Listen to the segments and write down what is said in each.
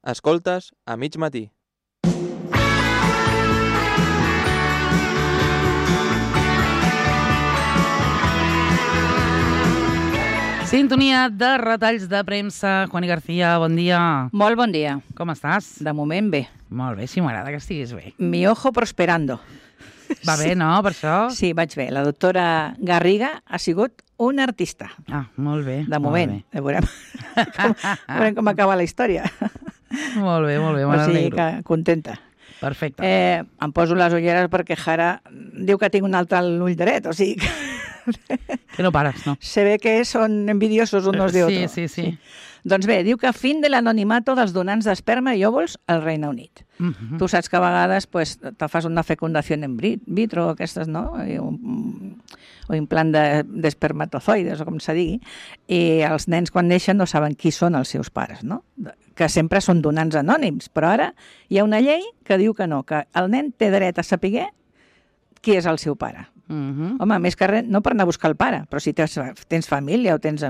Escoltes a mig matí. Sintonia de retalls de premsa. Juani García, bon dia. Molt bon dia. Com estàs? De moment bé. Molt bé, sí, m'agrada que estiguis bé. Mi ojo prosperando. Va bé, no, per això? Sí, vaig bé. La doctora Garriga ha sigut una artista. Ah, molt bé. De moment. Veurem com acaba la història. Molt bé, O sigui que contenta. Perfecte. Em poso les ulleres perquè Jara diu que tinc un altre a l'ull dret, o sigui que... Que no pares, no? Se ve que són envidiosos unos de otros. Sí. Doncs bé, diu que fin de l'anonimato dels donants d'esperma i òvuls al Regne Unit. Tu saps que a vegades te fas una fecundació en vitro, aquestes, no? O implant d'espermatozoides, o com se digui, i els nens quan neixen no saben qui són els seus pares, no? Que sempre són donants anònims, però ara hi ha una llei que diu que no, que el nen té dret a saber qui és el seu pare. Home, més que res, no per anar a buscar el pare, però si tens família o tens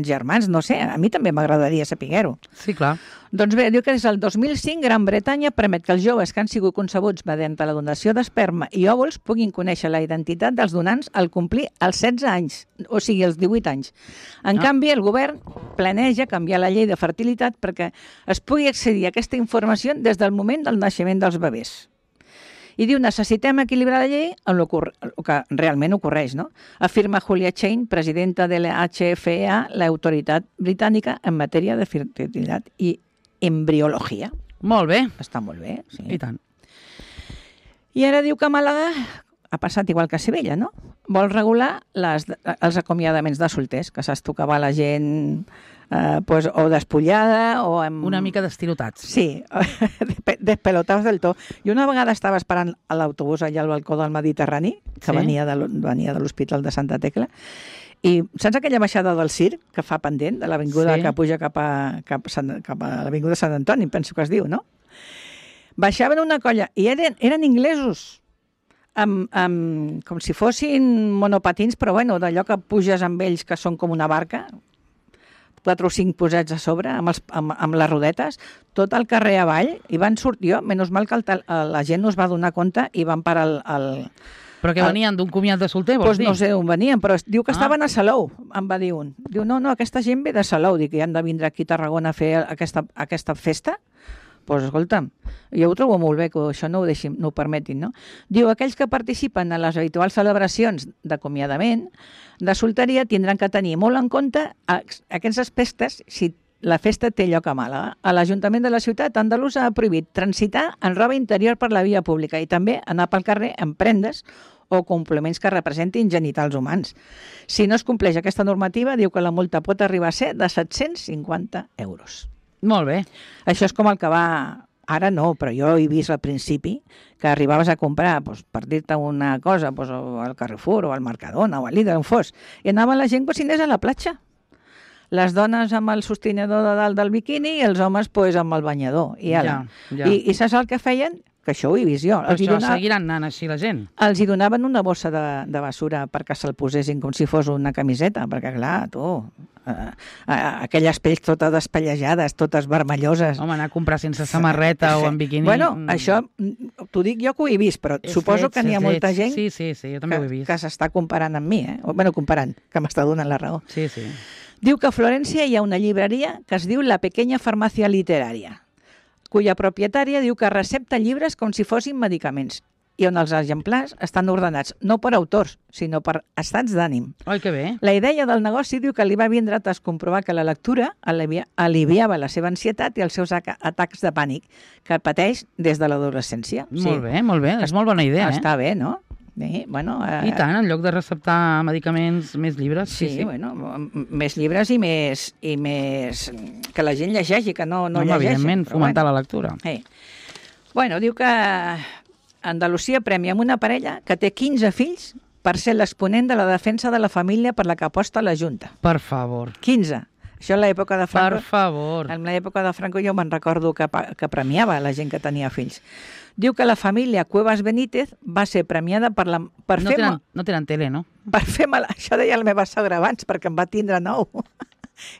germans, no sé, a mi també m'agradaria saber-ho. Sí, clar. Doncs bé, diu que des del 2005 Gran Bretanya permet que els joves que han sigut concebuts mediante la donació d'esperma i òvuls puguin conèixer la identitat dels donants al complir els 16 anys, o sigui, els 18 anys. En canvi, el govern planeja canviar la llei de fertilitat perquè es pugui accedir a aquesta informació des del moment del naixement dels bebès. I diu, necessitem equilibrar la llei amb el que realment ocorreix, no? Afirma Julia Chain, presidenta de la HFEA, l'autoritat britànica en matèria de fertilitat i embriologia. Molt bé. Està molt bé, sí. I tant. I ara diu que Màlaga ha passat igual que a Sevilla, no? Vol regular els acomiadaments de solters, que saps tu que va la gent o despullada o amb... Una mica d'estilotats. Sí, despelotados del tot. Jo una vegada estava esperant a l'autobús allà al balcó del Mediterrani, que venia de l'Hospital de Santa Tecla, i saps aquella baixada del circ que fa pendent, de l'avinguda que puja cap a l'avinguda Sant Antoni, penso que es diu, no? Baixaven una colla i eren inglesos, com si fossin monopatins, però bueno, d'allò que puges amb ells que són com una barca, 4 o 5 posats a sobre, amb les rodetes, tot el carrer avall, i van sortir, menys mal que la gent no es va donar compte i van parar el... Però que venien d'un comiat de solter, vols dir? No sé on venien, però diu que estaven a Salou, em va dir un. Diu, no, aquesta gent ve de Salou, dic que han de vindre aquí a Tarragona a fer aquesta festa. Doncs escolta'm, jo ho trobo molt bé que això no ho permetin, no? Diu, aquells que participen en les habituals celebracions d'acomiadament de solteria tindran que tenir molt en compte aquests aspectes si la festa té lloc a Màlaga. A l'Ajuntament de la ciutat andalusa ha prohibit transitar en roba interior per la via pública i també anar pel carrer amb prendes o complements que representin genitals humans. Si no es compleix aquesta normativa, diu que la multa pot arribar a ser de 750 euros. Molt bé. Això és com el que va... Ara no, però jo he vist al principi que arribaves a comprar, per dir-te una cosa, al Carrefour o al Mercadona o al Lidl, on fos, i anava la gent si anés a la platja. Les dones amb el sostinador de dalt del biquini i els homes amb el banyador. I saps el que feien? Que això ho he vist jo. Per això seguiran anant així la gent. Els hi donaven una bossa de basura perquè se'l posessin com si fos una camiseta, perquè clar, tu... aquelles pells totes despellejades, totes vermelloses. Home, anar a comprar sense samarreta o en biquini... Bueno, això t'ho dic jo que ho he vist, però suposo que n'hi ha molta gent jo també ho he vist. Que s'està comparant amb mi, comparant, que m'està donant la raó. Sí. Diu que a Florència hi ha una llibreria que es diu La Pequeña Farmàcia Literària, cuya propietària diu que recepta llibres com si fossin medicaments i on els exemplars estan ordenats no per autors, sinó per estats d'ànim. Ai, que bé. La idea del negoci diu que li va vindre a comprovar que la lectura aliviava la seva ansietat i els seus atacs de pànic que pateix des de l'adolescència. Molt bé. És molt bona idea, Està bé, no? Bé, bueno, I tant, en lloc de receptar medicaments, més llibres. Sí. Bueno, més llibres i més que la gent llegeixi, que no llegeixi. Evidentment, fomentar la lectura. Bueno, diu que Andalusia premia amb una parella que té 15 fills per ser l'exponent de la defensa de la família per la que aposta la Junta. Per favor. 15. Això en l'època de Franco... Per favor. En l'època de Franco jo me'n recordo que premiava la gent que tenia fills. Diu que la família Cuevas Benítez va ser premiada No tenen tele, no? Per fer mal... Això deia la meva sogra abans, perquè em va tindre 9.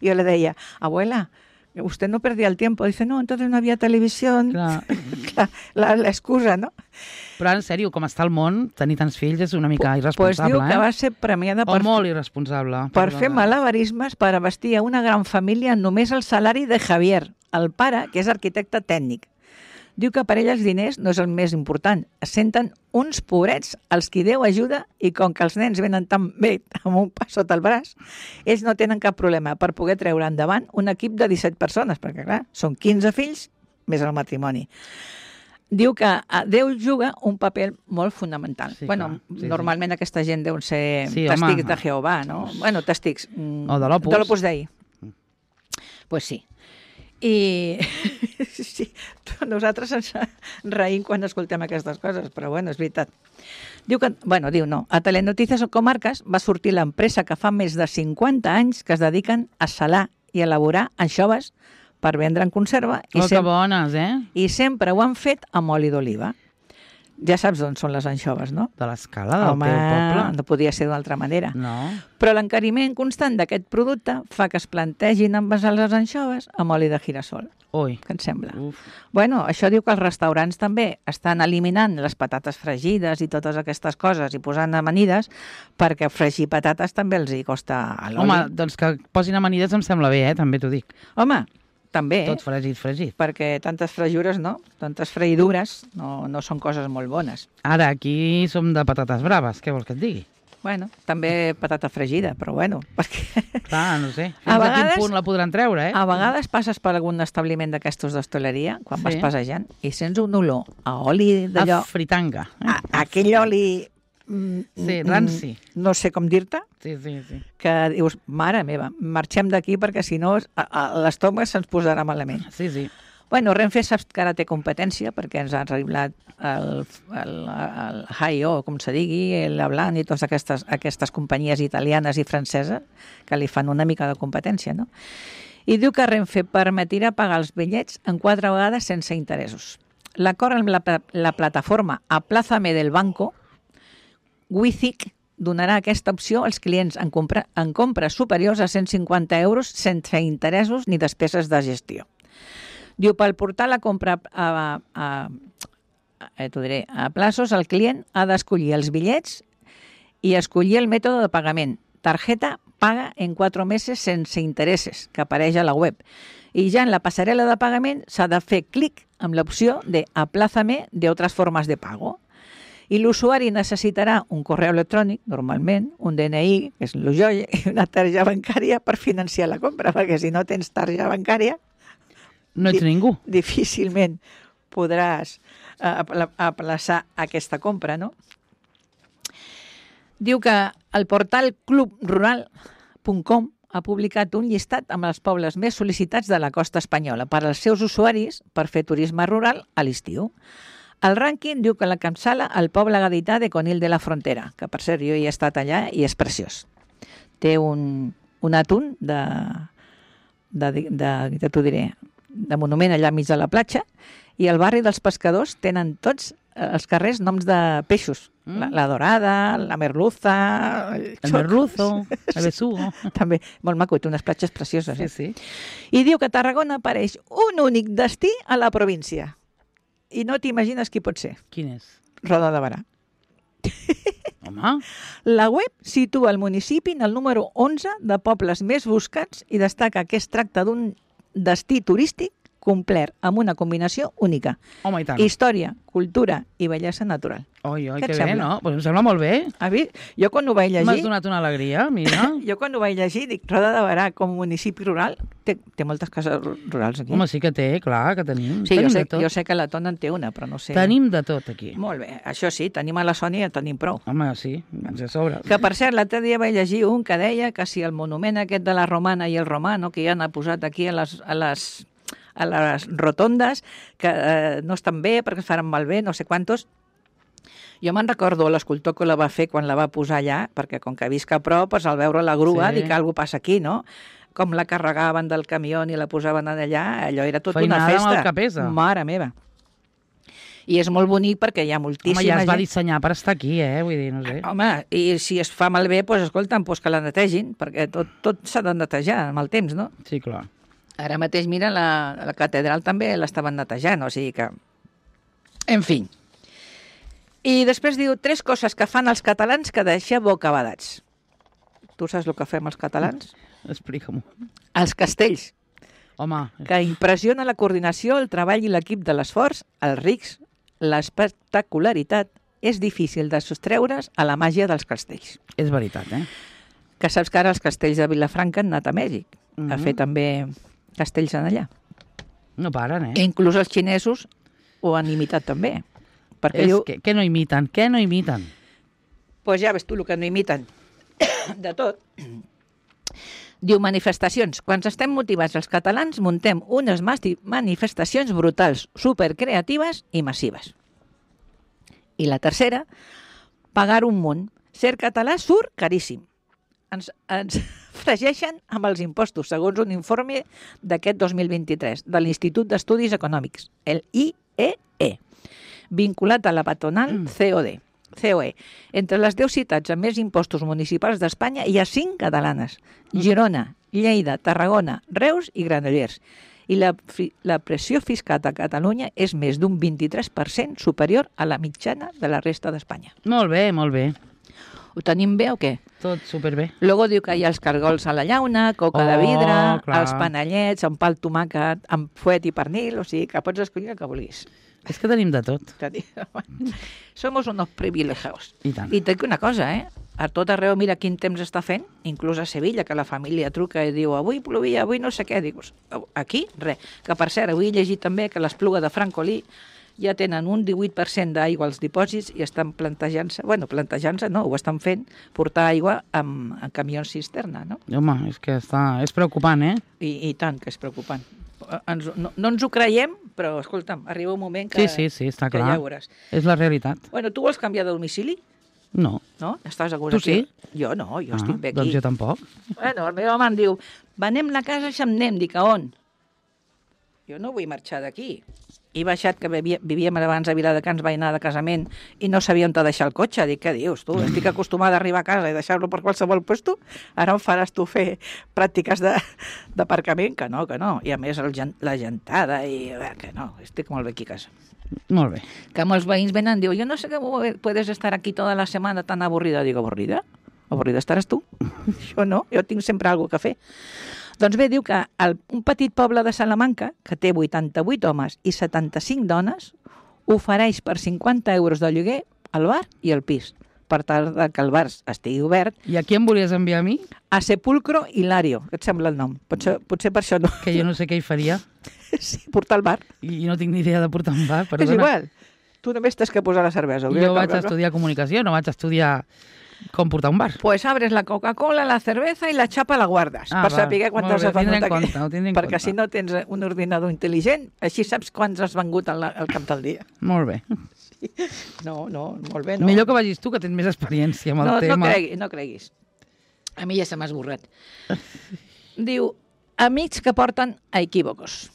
I jo li deia, abuela, usted no perdía el tiempo. Dice, no, entonces no había televisión. Clar. Clar, l'excusa, no? Però, en sèrio, com està el món, tenir tants fills és una mica Pues irresponsable, diu que va ser premiada O molt irresponsable. per fer malabarismes per vestir a una gran família només el salari de Javier, el pare, que és arquitecte tècnic. Diu que per ell els diners no és el més important. Es senten uns pobrets als qui Déu ajuda i com que els nens venen tan bé amb un pas sota el braç, ells no tenen cap problema per poder treure endavant un equip de 17 persones, perquè clar, són 15 fills més el matrimoni. Diu que Déu juga un paper molt fonamental. Sí, bueno, clar, sí, normalment aquesta gent deuen ser Sí, testics home. de Jehovà, no? Bueno, testics. O de l'Opus. De l'Opus Dei. Pues sí. I sí, nosaltres ens reïm quan escoltem aquestes coses, però bueno, és veritat. Diu que, diu no, a Telenoticias o Comarques va sortir l'empresa que fa més de 50 anys que es dediquen a salar i elaborar anxoves per vendre en conserva Que bones, i sempre ho han fet amb oli d'oliva. Ja saps d'on són les anxoves, no? De l'escala del teu poble. No podia ser d'una altra manera. No. Però l'encariment constant d'aquest producte fa que es plantegin envasar les anxoves amb oli de girassol. Ui. Què et sembla? Uf. Bueno, això diu que els restaurants també estan eliminant les patates fregides i totes aquestes coses i posant amanides perquè fregir patates també els hi costa a l'oli. Home, doncs que posin amanides em sembla bé, també t'ho dic. Home, també, Tot fregit. perquè tantes fregures, no? Tantes freïdures no són coses molt bones. Ara, aquí som de patates braves, què vols que et digui? Bueno, també patata fregida, però bueno, perquè Clar, no sé. Fins A a vegades- quin punt la podran treure, a vegades passes per algun establiment d'aquestos d'hostaleria, quan Sí. vas passejant, i sents un olor a oli d'allò, A fritanga. aquell oli... Sí, ranci. No sé com dir-te, Sí. que dius, mare meva, marxem d'aquí perquè si no l'estómac se'ns posarà malament. Sí. Bueno, Renfe saps que ara té competència perquè ens ha arribat el HIO, com se digui, l'Ablan i totes aquestes companyies italianes i franceses que li fan una mica de competència, no? I diu que Renfe permetirà pagar els bitllets en 4 vegades sense interessos. L'acord amb la plataforma Aplázame del Banco, Wizic, donarà aquesta opció als clients en compres superiors a 150 euros sense interessos ni despeses de gestió. Diu, pel portar la compra a plaços, el client ha d'escollir els bitllets i escollir el mètode de pagament. Tarjeta paga en 4 mesos sense interessos, que apareix a la web. I ja en la passarel·la de pagament s'ha de fer clic amb l'opció de Aplázame de otras formas de pago. I l'usuari necessitarà un correu electrònic, normalment, un DNI, que és el joia, i una targeta bancària per financiar la compra, perquè si no tens targeta bancària, No ets ningú. difícilment podràs aplaçar aquesta compra, no? Diu que el portal clubrural.com ha publicat un llistat amb els pobles més sol·licitats de la costa espanyola per als seus usuaris per fer turisme rural a l'estiu. El rànquing diu que l'encapçala el poble gadità de Conill de la Frontera, que per cert jo hi he estat allà i és preciós. Té un atún t'ho diré, de monument allà mig de la platja, i el barri dels pescadors tenen tots els carrers noms de peixos. La dorada, la merluza... El merluzo, el besugo. També, molt maco, té unes platges precioses. Sí. I diu que Tarragona apareix un únic destí a la província. I no t'imagines qui pot ser. Quin és? Roda de Barà. Home, La web situa el municipi en el número 11 de pobles més buscats i destaca que es tracta d'un destí turístic complet amb una combinació única. home, i tant. Història, cultura i bellesa natural. Oi, Què et que bé, sembla? no? Pues em sembla molt bé. Jo quan ho vaig M'has llegir... donat una alegria, mira. Jo quan ho vaig llegir dic, Roda de Barà com a municipi rural té moltes cases rurals aquí. Home, sí que té, clar, que tenim. Sí, tenim jo de tot. sé que la Tona en té una, però no sé... Tenim de tot aquí. Molt bé, això sí, tenim a la Sònia i en tenim prou. Home, sí, ens de sobre. Que, per cert, l'altre dia vaig llegir un que deia que si el monument aquest de la Romana i el Romano, que ja n'ha posat aquí a les rotondes, que no estan bé perquè es faran malbé, no sé quantos. Jo me'n recordo l'escultor que la va fer quan la va posar allà, perquè com que visc a prop, doncs, al veure la grua, Sí. dic que alguna passa aquí, no? Com la carregaven del camió i la posaven allà, allò era tot Feinada una amb festa. el que pesa. Mare meva. I és molt bonic perquè hi ha moltíssima Home, ja es va gent. dissenyar per estar aquí, vull dir, no sé. Home, i si es fa malbé, doncs escolta'm, doncs que la netegin, perquè tot s'ha de netejar amb el temps, no? Sí, clar. Ara mateix, mira, la catedral també l'estaven netejant, o sigui que... En fi. I després diu 3 coses que fan els catalans que deixa bocabadats. Tu saps el que fem els catalans? Explica-m'ho. Els castells, Home, que impressiona la coordinació, el treball i l'equip de l'esforç, els rics, l'espectacularitat, és difícil de sostreure's a la màgia dels castells. és veritat, eh? Que saps que ara els castells de Vilafranca han anat a Mèxic, a fer també castells en allà. No paren, I inclús els xinesos ho han imitat també. Perquè És diu, que no imiten, què no imiten? pues ja ves tu el que no imiten. De tot. Diu manifestacions. Quan estem motivats els catalans muntem unes manifestacions brutals, supercreatives i massives. I la tercera, pagar un munt. Ser català surt caríssim. Ens fregeixen amb els impostos, segons un informe d'aquest 2023 de l'Institut d'Estudis Econòmics, el IEE, vinculat a la patronal COE. Entre les 10 ciutats amb més impostos municipals d'Espanya hi ha 5 catalanes: Girona, Lleida, Tarragona, Reus i Granollers. I la pressió fiscal a Catalunya és més d'un 23% superior a la mitjana de la resta d'Espanya. Molt bé, molt bé. Ho tenim bé o què? Tot superbé. Luego diu que hi ha els cargols a la llauna, coca de vidre, clar. els panellets, amb pa al tomàquet, amb fuet i pernil, o sigui que pots escollir el que vulguis. És que tenim de tot. Somos unos privilegiados. I tant. I t'he dit una cosa, a tot arreu mira quin temps està fent, inclús a Sevilla, que la família truca i diu avui plovia, avui no sé què. Dius, aquí, res. Que per cert, avui he llegit també que l'Espluga de Francolí ja tenen un 18% d'aigua als dipòsits i estan plantejant-se, no, ho estan fent, portar aigua amb camions cisterna, no? Home, és que és preocupant, eh? I tant que és preocupant. No ens ho creiem, però, escolta'm, arriba un moment que, Sí, està que clar. ja veuràs. És la realitat. Bueno, tu vols canviar de domicili? No. No? Estàs a Tu sí? Jo no, jo estic bé aquí. Doncs jo tampoc. Bueno, el meu home em diu, venem la casa i se'n anem. Dic, a on? Jo no vull marxar d'aquí. He baixat, que vivíem abans a Viladecans, vaig anar de casament i no sabia on deixar el cotxe. Dic, què dius, tu? Estic acostumada a arribar a casa i deixar-lo per qualsevol puesto. Ara em faràs tu fer pràctiques d'aparcament? Que no. I a més la gentada i... que no, estic molt bé aquí a casa. Molt bé. Que molts veïns venen i diuen, jo no sé cómo puedes estar aquí toda la semana tan avorrida. Dic, avorrida? Avorrida estaràs tu? Jo no, jo tinc sempre alguna cosa a fer. Doncs bé, diu que un petit poble de Salamanca, que té 88 homes i 75 dones, ofereix per 50 euros de lloguer el bar i el pis, per tal que el bar estigui obert. I a qui em volies enviar a mi? A Sepulcro Hilario, què et sembla el nom? Potser per això no. Que jo no sé què hi faria. Sí, portar el bar. I no tinc ni idea de portar un bar, perdona. És igual. Tu només tens que posar la cervesa. Jo vaig estudiar comunicació, no vaig estudiar com portar un bar. Pues abres la Coca-Cola, la cerveza i la xapa la guardes, per saber quants has venut aquí. Perquè si no tens un ordinador intel·ligent, així saps quants has vengut al cap del dia. Molt bé. Sí. No, molt bé, no. Millor que vagis tu, que tens més experiència amb el tema. No creguis. A mi ja se m'ha esborrat. Diu, amics que porten a equívocos.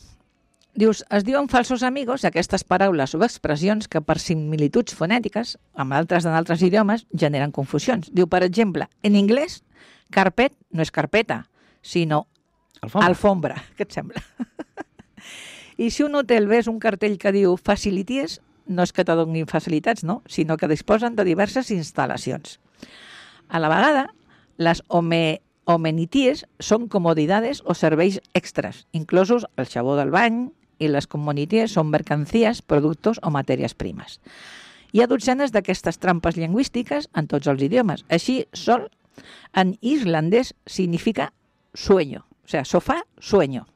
Dius, es diuen falsos amigos aquestes paraules o expressions que per similituds fonètiques amb altres en altres idiomes generen confusions. Diu, per exemple, en anglès, carpet no és carpeta, sinó alfombra. Què et sembla? I si un hotel ves un cartell que diu facilities, no és que te donin facilitats, no? Sinó que disposen de diverses instal·lacions. A la vegada, les amenities són comodidades o serveis extras, inclosos el xabó del bany, i les comunities són mercancías, productos o matèries primes. Hi ha dotzenes d'aquestes trampes lingüístiques en tots els idiomes. Així, sol en islandès significa sueño, o sea, sofà, sueño.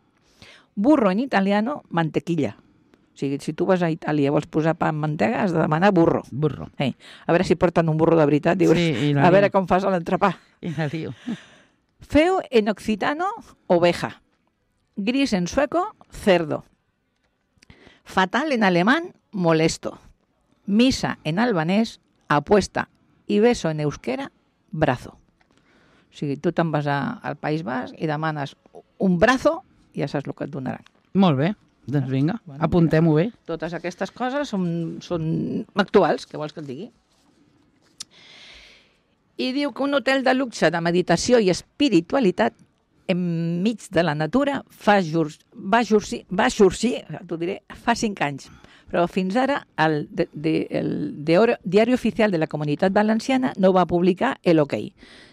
Burro en italiano, mantequilla. O sigui, si tu vas a Itàlia i vols posar pa amb mantega, has de demanar burro. Burro. A veure si porten un burro de veritat. Dius, sí, a veure com fas l'entrepà. I la diu. Feo en occitano, oveja. Gris en sueco, cerdo. Fatal en alemán, molesto. Misa en albanès, apuesta. I beso en euskera, brazo. O sigui, tu te'n vas al País Basc i demanes un brazo i ja saps el que et donaran. Molt bé. Doncs vinga, apuntem-ho bé. Totes aquestes coses són actuals, què vols que et digui? I diu que un hotel de luxe de meditació i espiritualitat enmig de la natura va sorgir, t'ho diré, fa 5 anys. Però fins ara el Diari Oficial de la Comunitat Valenciana no va publicar l'OK.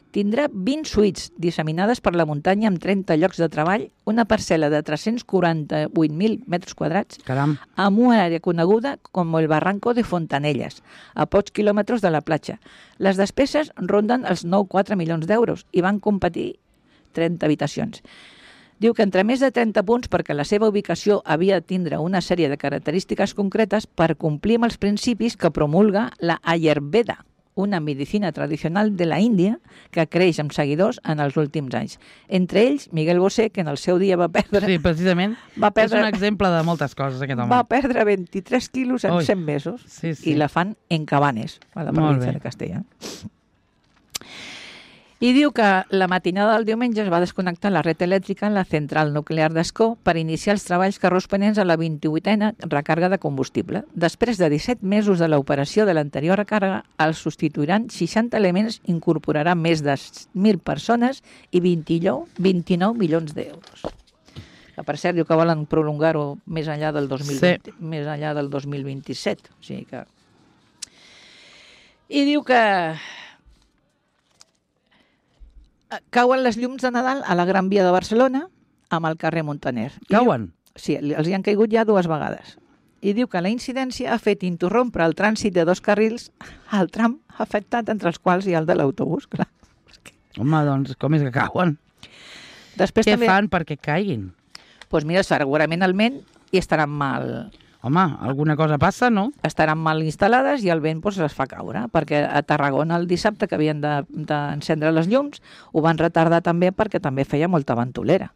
Tindrà 20 suites disseminades per la muntanya amb 30 llocs de treball, una parcel·la de 348.000 metres quadrats, Caram. amb una àrea coneguda com el Barranco de Fontanelles, a pocs quilòmetres de la platja. Les despeses ronden els 9,4 milions d'euros i van competir 30 habitacions. Diu que entre més de 30 punts perquè la seva ubicació havia de tindre una sèrie de característiques concretes per complir amb els principis que promulga la Ayurveda, una medicina tradicional de la Índia que creix amb seguidors en els últims anys. Entre ells, Miguel Bosé, que en el seu dia va perdre... Sí, precisament. És un exemple de moltes coses, aquest home. Va perdre 23 quilos en 100 mesos i la fan en Cabanes, a la província de Castella. I diu que la matinada del diumenge es va desconnectar la red elèctrica en la central nuclear d'Ascó per iniciar els treballs corresponents a la 28a recàrrega de combustible. Després de 17 mesos de l'operació de l'anterior recàrrega, els substituiran 60 elements, incorporaran més de 1.000 persones i 29 milions d'euros. Que per cert, diu que volen prolongar-ho més enllà del 2027. O sigui que... I diu que cauen les llums de Nadal a la Gran Via de Barcelona amb el carrer Montaner. Cauen? Sí, els hi han caigut ja 2 vegades. I diu que la incidència ha fet interrompre el trànsit de 2 carrils al tram afectat, entre els quals hi ha el de l'autobús, clar. Home, doncs, com és que cauen? Després Què també fan perquè caiguin? Doncs mira, segurament el vent i estaran mal... Home, alguna cosa passa, no? Estaran mal instal·lades i el vent doncs, les fa caure, perquè a Tarragona el dissabte que havien d'encendre les llums ho van retardar també perquè també feia molta ventolera.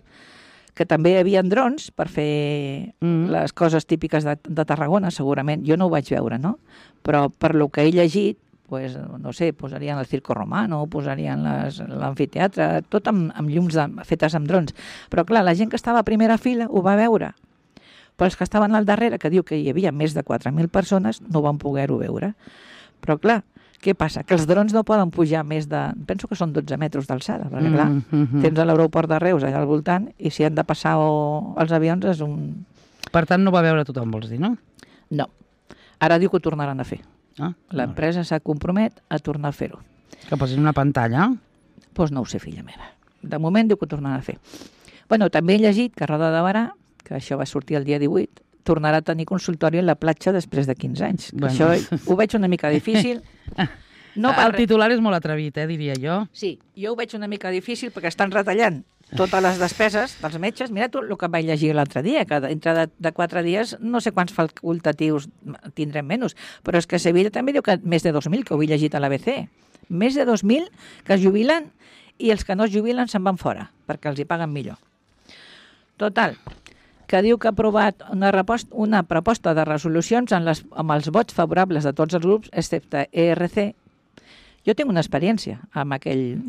Que també hi havia drons per fer les coses típiques de Tarragona, segurament. Jo no ho vaig veure, no? Però per lo que he llegit, pues, no sé, posarien el Circo Romano, posarien l'amfiteatre, tot amb llums fetes amb drons. Però clar, la gent que estava a primera fila ho va veure. Però els que estaven al darrere, que diu que hi havia més de 4.000 persones, no van poder-ho veure. Però clar, què passa? Que els drons no poden pujar més de... Penso que són 12 metres d'alçada, perquè clar, tens a l'aeroport de Reus allà al voltant i si han de passar els avions és un... Per tant, no va veure tothom, vols dir, no? No. Ara diu que ho tornaran a fer. L'empresa s'ha compromet a tornar a fer-ho. Que posin una pantalla? Doncs no ho sé, filla meva. De moment diu que ho tornaran a fer. Bueno, també he llegit que a Roda de Barà, que això va sortir el dia 18, tornarà a tenir consultori a la platja després de 15 anys. Bueno. Això ho veig una mica difícil. No, el titular és molt atrevit, diria jo. Sí, jo ho veig una mica difícil perquè estan retallant totes les despeses dels metges. Mira tu el que vaig llegir l'altre dia, que dintre de 4 dies no sé quants facultatius tindrem menys, però és que a Sevilla també diu que més de 2.000, que ho he llegit a l'ABC. Més de 2.000 que es jubilen i els que no es jubilen se'n van fora, perquè els hi paguen millor. Total, que diu que ha aprovat una proposta de resolucions amb els vots favorables de tots els grups, excepte ERC. Jo tinc una experiència amb aquell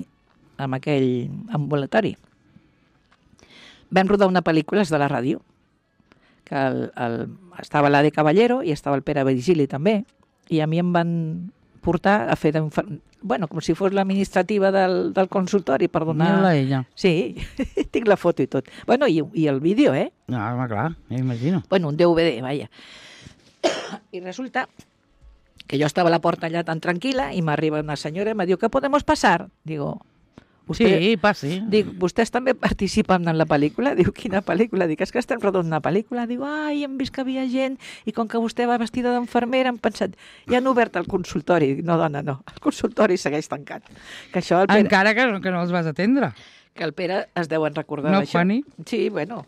ambulatori. Vam rodar una pel·lícula de la ràdio, que estava l'Ade Caballero i estava el Pere Virgili també, i a mi em van portar a fer com si fos l'administrativa del consultori per donar... Mira-la ella. Sí, tinc la foto i tot. Bueno, i el vídeo, No, home, clar, m'imagino. Bueno, un DVD, vaja. I resulta que jo estava a la porta allà tan tranquil·la i m'arriba una senyora i me diu, ¿qué podemos pasar? Digo... Sí, passi. Dic, vostès també participen en la pel·lícula? Diu, quina pel·lícula? Dic, és que estem rodant una pel·lícula. Diu, hem vist que havia gent i com que vostè va vestida d'enfermera hem pensat, ja han obert el consultori. Dic, no, dona, no, el consultori segueix tancat. Que això el Pere... Encara que no els vas atendre. Que el Pere es deuen recordar d'això. No, Juani? Sí, bueno,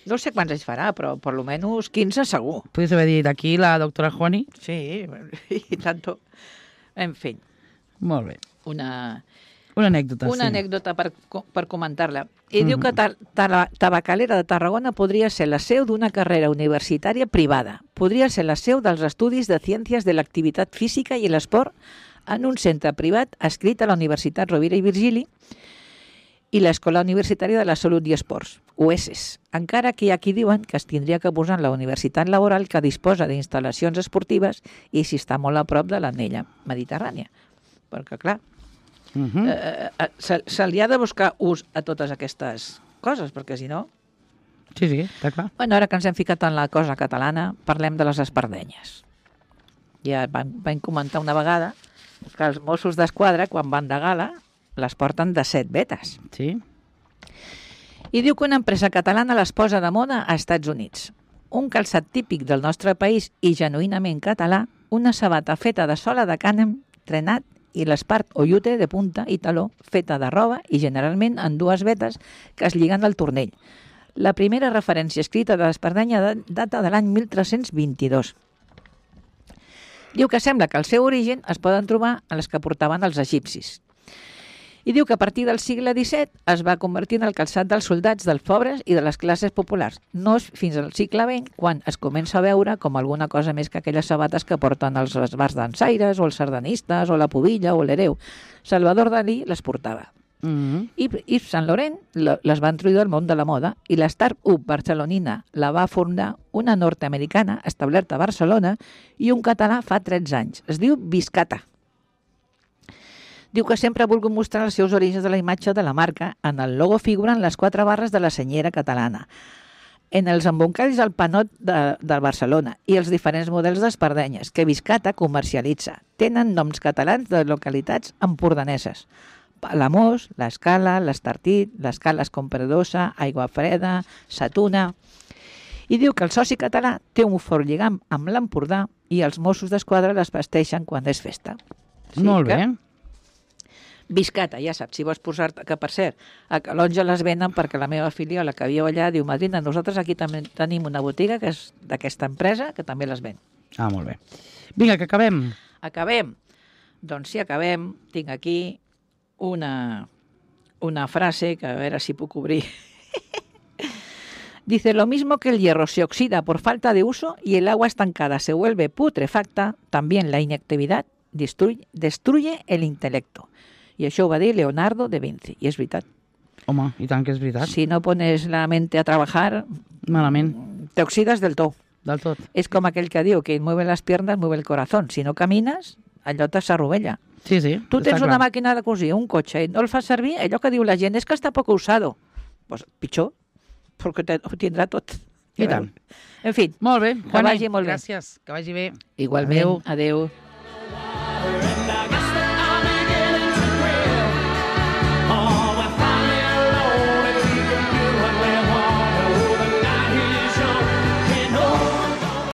no sé quants anys farà, però per lo menos 15 segur. Podries haver dit aquí la doctora Juani? Sí, i tanto. En fi. Molt bé. Una anècdota, Una anècdota per comentar-la. I diu que Tabacalera de Tarragona podria ser la seu d'una carrera universitària privada. Podria ser la seu dels estudis de Ciències de l'Activitat Física i l'Esport en un centre privat adscrit a la Universitat Rovira i Virgili i l'Escola Universitària de la Salut i Esports, UESES. Encara que hi ha qui diuen que es tindria que posar en la Universitat Laboral que disposa d'instal·lacions esportives i si està molt a prop de l'anella mediterrània. Perquè, clar, Se li ha de buscar ús a totes aquestes coses, perquè si no... Sí, està clar. Bueno, ara que ens hem ficat en la cosa catalana, parlem de les espardenyes. Ja vam comentar una vegada que els Mossos d'Esquadra, quan van de gala, les porten de 7 vetes. Sí. I diu que una empresa catalana les posa de moda a Estats Units. Un calçat típic del nostre país i genuïnament català, una sabata feta de sola de cànem, trenat, i l'espart o llute de punta i taló feta de roba i generalment en 2 vetes que es lliguen al tornell. La primera referència escrita de l'espardenya data de l'any 1322. Diu que sembla que el seu origen es poden trobar a les que portaven els egipcis. I diu que a partir del segle XVII es va convertir en el calçat dels soldats, dels pobres i de les classes populars. No és fins al segle XX quan es comença a veure com alguna cosa més que aquelles sabates que porten els bars dansaires o els sardanistes o la pubilla o l'hereu. Salvador Dalí les portava. I Yves Saint Laurent les va introduir al món de la moda i la start-up barcelonina la va fundar una nord-americana establerta a Barcelona i un català fa 13 anys. Es diu Biscata. Diu que sempre ha volgut mostrar els seus orígens de la imatge de la marca. En el logo figuren les 4 barres de la senyera catalana, en els embolcalls del panot de Barcelona i els diferents models d'espardenyes que Biscata comercialitza. Tenen noms catalans de localitats empordaneses. Palamós, l'Escala, l'Estartit, l'Escala Escombradosa, Aigua Freda, Satuna... I diu que el soci català té un fort lligam amb l'Empordà i els Mossos d'Esquadra les vesteixen quan és festa. Molt bé. Biscata, ja saps, si vols posar-te... Que, per cert, a Calonja les venen perquè la meva filiola que viu allà diu: madrina, nosaltres aquí també tenim una botiga que és d'aquesta empresa que també les ven. Ah, molt bé. Vinga, que acabem. Acabem. Doncs sí, acabem. Tinc aquí una frase que a veure si puc obrir. Dice: lo mismo que el hierro se oxida por falta de uso y el agua estancada se vuelve putrefacta, también la inactividad destruye el intelecto. I això ho va dir Leonardo da Vinci, i és veritat. Home, i tant que és veritat. Si no pones la mente a trabajar, malament, te oxidas del tot. Del tot. És com aquell que diu que mueve las piernas, mueve el corazón. Si no camines, allò s'arrovella. Sí, sí. Tu tens una màquina de cosir, un cotxe, i no el fas servir, allò que diu la gent és que està poc usado. Pues pitjor, perquè ho tindrà tot. I tant. En fi, molt bé, que vagi molt bé. Gràcies, que vagi bé. Igualment, adeu.